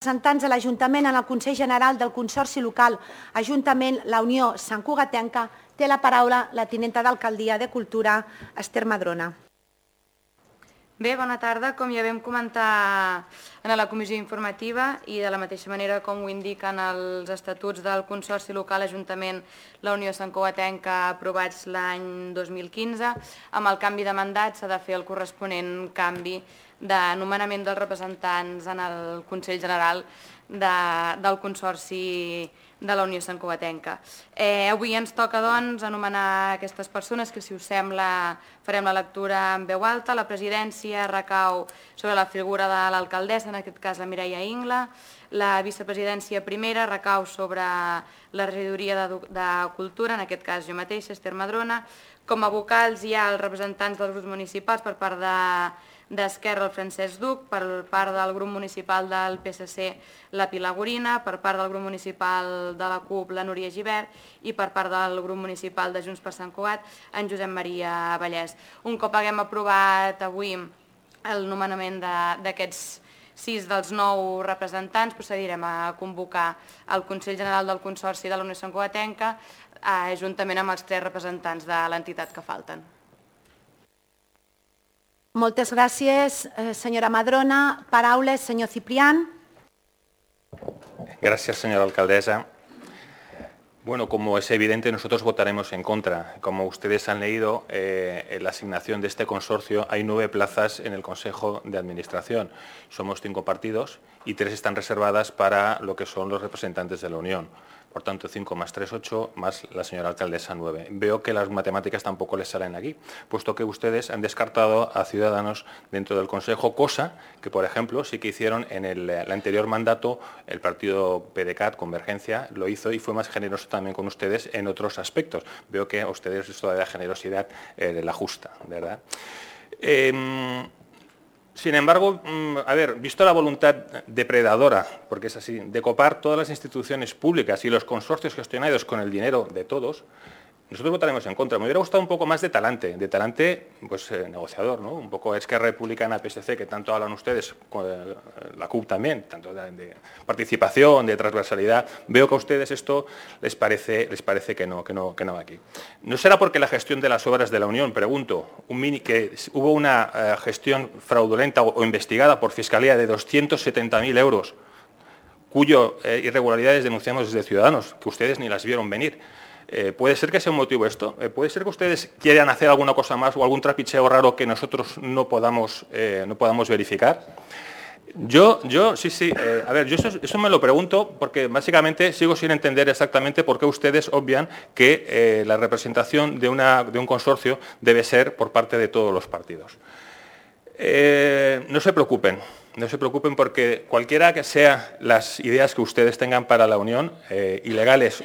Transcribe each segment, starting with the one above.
representants de l'Ajuntament en el Consell General del Consorci Local Ajuntament La Unió Sant Cugatenca, té la paraula la tinenta d'Alcaldia de Cultura, Esther Madrona. Bé, bona tarda. Com ja vam comentar en la comissió informativa i de la mateixa manera com ho indiquen els estatuts del Consorci Local Ajuntament La Unió Sant Cugatenca aprovats l'any 2015, amb el canvi de mandat s'ha de fer el corresponent canvi de nomenament dels representants en el Consell General del Consorci de la Unió Sant Cugatenca. Avui ens toca, doncs, anomenar aquestes persones que, si us sembla, farem la lectura en veu alta. La presidència recau sobre la figura de l'alcaldessa, en aquest cas la Mireia Ingla. La vicepresidència primera recau sobre la regidoria de Cultura, en aquest cas jo mateixa, Esther Madrona. Com a vocals hi ha els representants dels grups municipals per part d'Esquerra, el Francesc Duc, per part del grup municipal del PSC, la Pilar Gorina, per part del grup municipal de la CUP, la Núria Gibert, i per part del grup municipal de Junts per Sant Cugat, en Josep Maria Vallès. Un cop haguem aprovat avui el nomenament d'aquests 6 dels 9 representants, procedirem a convocar el Consell General del Consorci de la Unió Sant Cugatenca, juntament amb els 3 representants de l'entitat que falten. Moltes gràcies, senyora Madrona. Paraules, senyor Ciprián. Gracias, señora alcaldesa. Bueno, como es evidente, nosotros votaremos en contra. Como ustedes han leído, en la asignación de este consorcio hay 9 plazas en el Consejo de Administración. Somos 5 partidos y 3 están reservadas para lo que son los representantes de la Unión. Por tanto, 5 más 3, 8, más la señora alcaldesa, 9. Veo que las matemáticas tampoco les salen aquí, puesto que ustedes han descartado a Ciudadanos dentro del Consejo, cosa que, por ejemplo, sí que hicieron en el anterior mandato el partido PDeCAT, Convergencia, lo hizo y fue más generoso también con ustedes en otros aspectos. Veo que a ustedes esto de la generosidad la justa, ¿verdad? Sin embargo, visto la voluntad depredadora, porque es así, de copar todas las instituciones públicas y los consorcios gestionados con el dinero de todos, nosotros votaremos en contra. Me hubiera gustado un poco más de talante, pues negociador, ¿no? Un poco Esquerra Republicana, PSC, que tanto hablan ustedes, la CUP también, tanto de participación, de transversalidad. Veo que a ustedes esto les parece que no va aquí. ¿No será porque la gestión de las obras de la Unión, pregunto, que hubo una gestión fraudulenta o investigada por Fiscalía de 270.000 euros, cuyo irregularidades denunciamos desde Ciudadanos, que ustedes ni las vieron venir? ¿Puede ser que sea un motivo esto? ¿Puede ser que ustedes quieran hacer alguna cosa más o algún trapicheo raro que nosotros no podamos verificar? Yo eso me lo pregunto porque básicamente sigo sin entender exactamente por qué ustedes obvian que la representación de un consorcio debe ser por parte de todos los partidos. No se preocupen porque cualquiera que sean las ideas que ustedes tengan para la Unión, ilegales,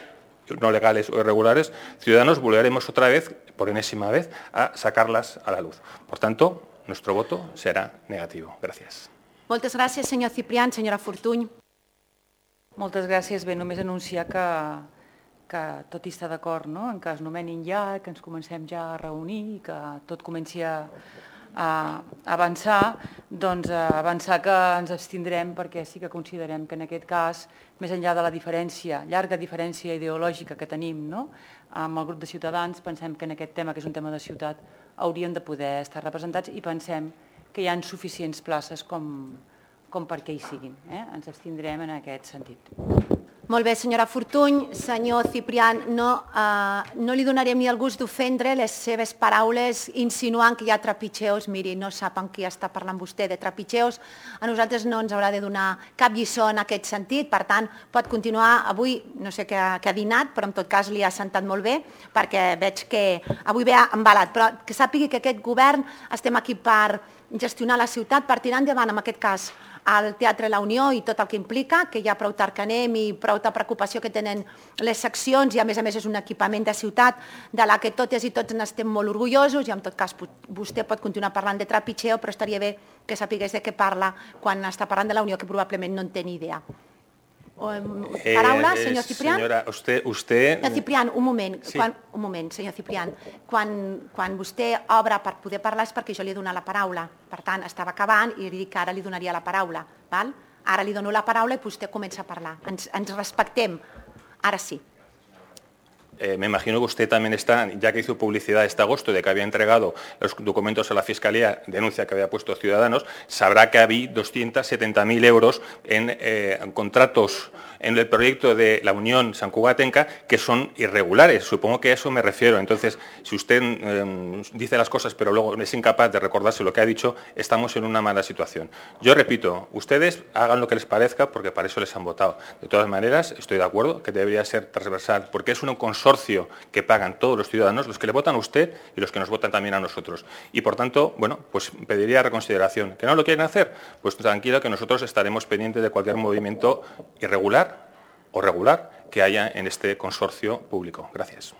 no legales o irregulares, Ciudadanos volveremos otra vez, por enésima vez, a sacarlas a la luz. Por tanto, nuestro voto será negativo. Gràcies. Moltes gràcies, senyor Ciprián. Senyora Fortuny. Moltes gràcies. Bé, només anunciar que tot hi està d'acord, no? En que es nomenin ja, que ens comencem ja a reunir i que tot comenci a avançar, doncs avançar que ens abstindrem perquè sí que considerem que en aquest cas, més enllà de la llarga diferència ideològica que tenim, no? Amb el grup de Ciutadans, pensem que en aquest tema, que és un tema de ciutat, hauríem de poder estar representats i pensem que hi ha suficients places com perquè hi siguin. Ens abstindrem en aquest sentit. Molt bé, senyora Fortuny. Senyor Ciprián, no li donarem ni el gust d'ofendre les seves paraules insinuant que hi ha trepitgeos. Miri, no sap amb qui està parlant vostè de trepitgeos. A nosaltres no ens haurà de donar cap lliçó en aquest sentit. Per tant, pot continuar avui, no sé què ha dinat, però en tot cas li ha sentat molt bé, perquè veig que avui ve embalat. Però que sàpigui que aquest govern estem aquí per gestionar la ciutat, per tirar endavant, en aquest cas, al Teatre La Unió i tot el que implica, que hi ha prou tard que anem i prou preocupació que tenen les seccions i a més és un equipament de ciutat de la que totes i tots n'estem molt orgullosos i en tot cas vostè pot continuar parlant de trepitgeo, però estaria bé que sapigués de què parla quan està parlant de la Unió, que probablement no en té ni idea. Paraula, senyor Ciprián. Senyora, usted... Senyor Ciprián, un moment, sí. Un moment, senyor Ciprián. Quan vostè obre per poder parlar és perquè jo li he donat la paraula. Per tant, estava acabant i li dic que ara li donaria la paraula. Val? Ara li dono la paraula i vostè comença a parlar. Ens respectem. Ara sí. Me imagino que usted también está, ya que hizo publicidad este agosto de que había entregado los documentos a la Fiscalía, denuncia que había puesto Ciudadanos, sabrá que había 270.000 euros en contratos en el proyecto de la Unión Sant Cugatenca que son irregulares. Supongo que a eso me refiero. Entonces, si usted dice las cosas pero luego es incapaz de recordarse lo que ha dicho, estamos en una mala situación. Yo repito, ustedes hagan lo que les parezca porque para eso les han votado. De todas maneras, estoy de acuerdo que debería ser transversal porque es un consorcio que pagan todos los ciudadanos, los que le votan a usted y los que nos votan también a nosotros. Y por tanto, bueno, pues pediría reconsideración. ¿Que no lo quieren hacer? Pues tranquilo que nosotros estaremos pendientes de cualquier movimiento irregular o regular que haya en este consorcio público. Gracias.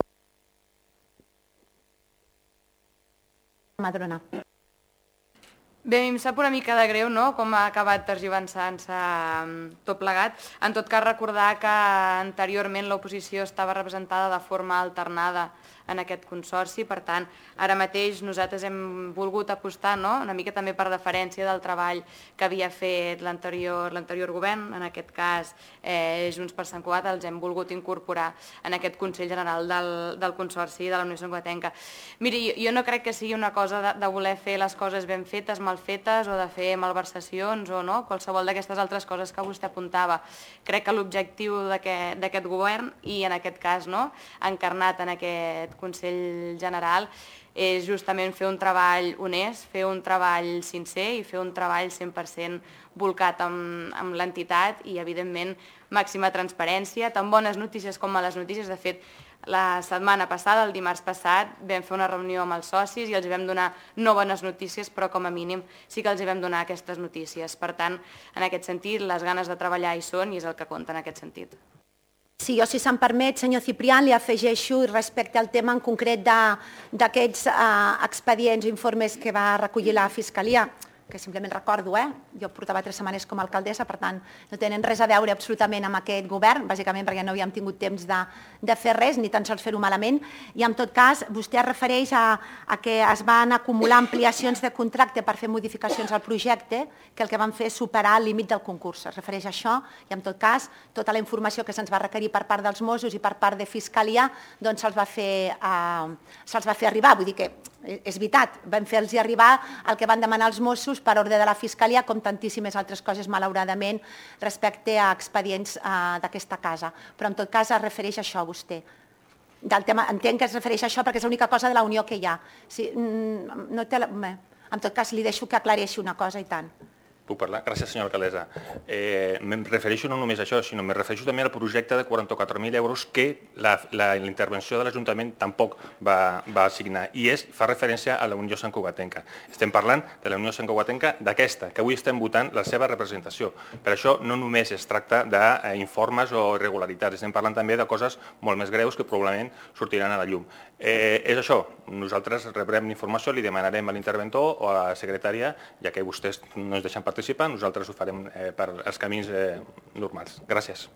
Madrona. Bé, a mi em sap una mica de greu, no?, com ha acabat tergiversant-se tot plegat. En tot cas, recordar que anteriorment l'oposició estava representada de forma alternada en aquest consorci, per tant, ara mateix nosaltres hem volgut apostar, no?, una mica també per deferència del treball que havia fet l'anterior govern, en aquest cas Junts per Sant Cugat, els hem volgut incorporar en aquest Consell General del Consorci de la Unió Sant Cugatenca. Miri, jo no crec que sigui una cosa de voler fer les coses ben fetes, mal fetes, o de fer malversacions o no, qualsevol d'aquestes altres coses que vostè apuntava. Crec que l'objectiu d'aquest govern, i en aquest cas encarnat en aquest Consell General, és justament fer un treball honest, fer un treball sincer i fer un treball 100% volcat amb l'entitat i, evidentment, màxima transparència, tant bones notícies com males notícies. De fet, la setmana passada, el dimarts passat, vam fer una reunió amb els socis i els vam donar no bones notícies, però com a mínim sí que els vam donar aquestes notícies. Per tant, en aquest sentit, les ganes de treballar hi són i és el que compta en aquest sentit. Sí, jo, si se'm permet, senyor Ciprián, li afegeixo respecte al tema en concret d'aquests expedients o informes que va recollir la Fiscalia, que simplement recordo, jo portava 3 setmanes com a alcaldessa, per tant, no tenen res a veure absolutament amb aquest govern, bàsicament perquè no havíem tingut temps de fer res, ni tan sols fer-ho malament, i en tot cas, vostè es refereix a que es van acumular ampliacions de contracte per fer modificacions al projecte, que el que van fer és superar el límit del concurs. Es refereix a això, i en tot cas, tota la informació que se'ns va requerir per part dels Mossos i per part de Fiscalia, doncs se'ls va fer arribar. Vull dir que és veritat, vam fer-los arribar el que van demanar els Mossos per ordre de la Fiscalia, com tantíssimes altres coses, malauradament, respecte a expedients d'aquesta casa. Però en tot cas es refereix a això, vostè. Entenc que es refereix a això perquè és l'única cosa de la unió que hi ha. En tot cas, li deixo que aclareixi una cosa i tant. Puc parlar? Gràcies, senyora alcaldessa. Em refereixo no només a això, sinó me refereixo també al projecte de 44.000 euros que la intervenció de l'Ajuntament tampoc va assignar, i fa referència a la Unió Sant Cugatenca. Estem parlant de la Unió Sant Cugatenca d'aquesta, que avui estem votant la seva representació. Per això no només es tracta d'informes o irregularitats, estem parlant també de coses molt més greus que probablement sortiran a la llum. És això, nosaltres rebrem informació, li demanarem a l'interventor o a la secretària, ja que vostès no ens deixen participar, nosaltres ho farem per els camins normals. Gràcies.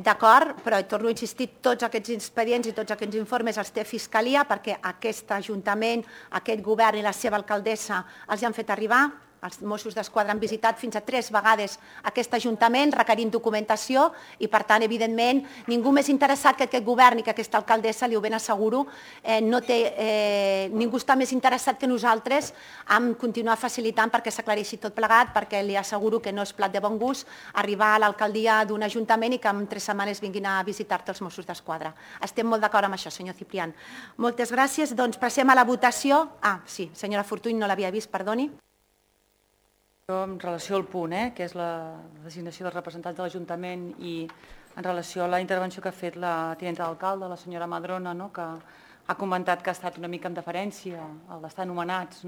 D'acord, però torno a insistir, tots aquests expedients i tots aquests informes els té Fiscalia perquè aquest Ajuntament, aquest govern i la seva alcaldessa els han fet arribar. Els Mossos d'Esquadra han visitat fins a 3 vegades aquest Ajuntament requerint documentació i, per tant, evidentment, ningú més interessat que aquest govern i que aquesta alcaldessa, li ho ben asseguro, ningú està més interessat que nosaltres en continuar facilitant perquè s'aclareixi tot plegat, perquè li asseguro que no és plat de bon gust arribar a l'alcaldia d'un Ajuntament i que en 3 setmanes vinguin a visitar-te els Mossos d'Esquadra. Estem molt d'acord amb això, senyor Ciprián. Moltes gràcies. Doncs passem a la votació. Sí, senyora Fortuny, no l'havia vist, perdoni. En relació al punt, que és la designació dels representants de l'Ajuntament, i en relació a la intervenció que ha fet la tinenta d'alcalde, la senyora Madrona, que ha comentat que ha estat una mica en deferència al d'estar nomenats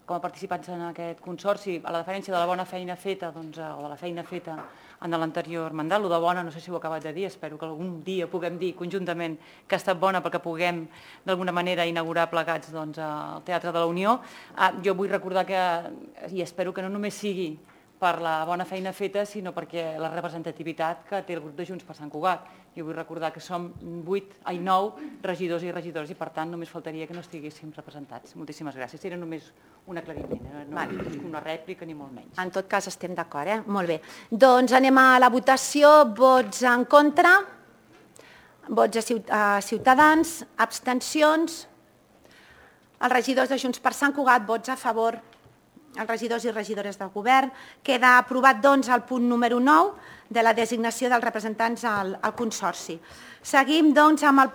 com a participants en aquest consorci, a la deferència de la bona feina feta, o de la feina feta en l'anterior mandat. Lo de bona no sé si ho he acabat de dir, espero que algun dia puguem dir conjuntament que ha estat bona perquè puguem d'alguna manera inaugurar plegats el Teatre de la Unió. Jo vull recordar que, i espero que no només sigui per la bona feina feta, sinó perquè la representativitat que té el grup de Junts per Sant Cugat. Jo vull recordar que som 9 regidors i regidores i, per tant, només faltaria que no estiguéssim representats. Moltíssimes gràcies. Era només un aclariment, no una rèplica ni molt menys. En tot cas, estem d'acord, Molt bé. Doncs anem a la votació. Vots en contra, vots a Ciutadans, abstencions. Els regidors de Junts per Sant Cugat, vots a favor. Els regidors i regidores del govern. Queda aprovat, doncs, el punt número 9 de la designació dels representants al Consorci. Seguim, doncs, amb el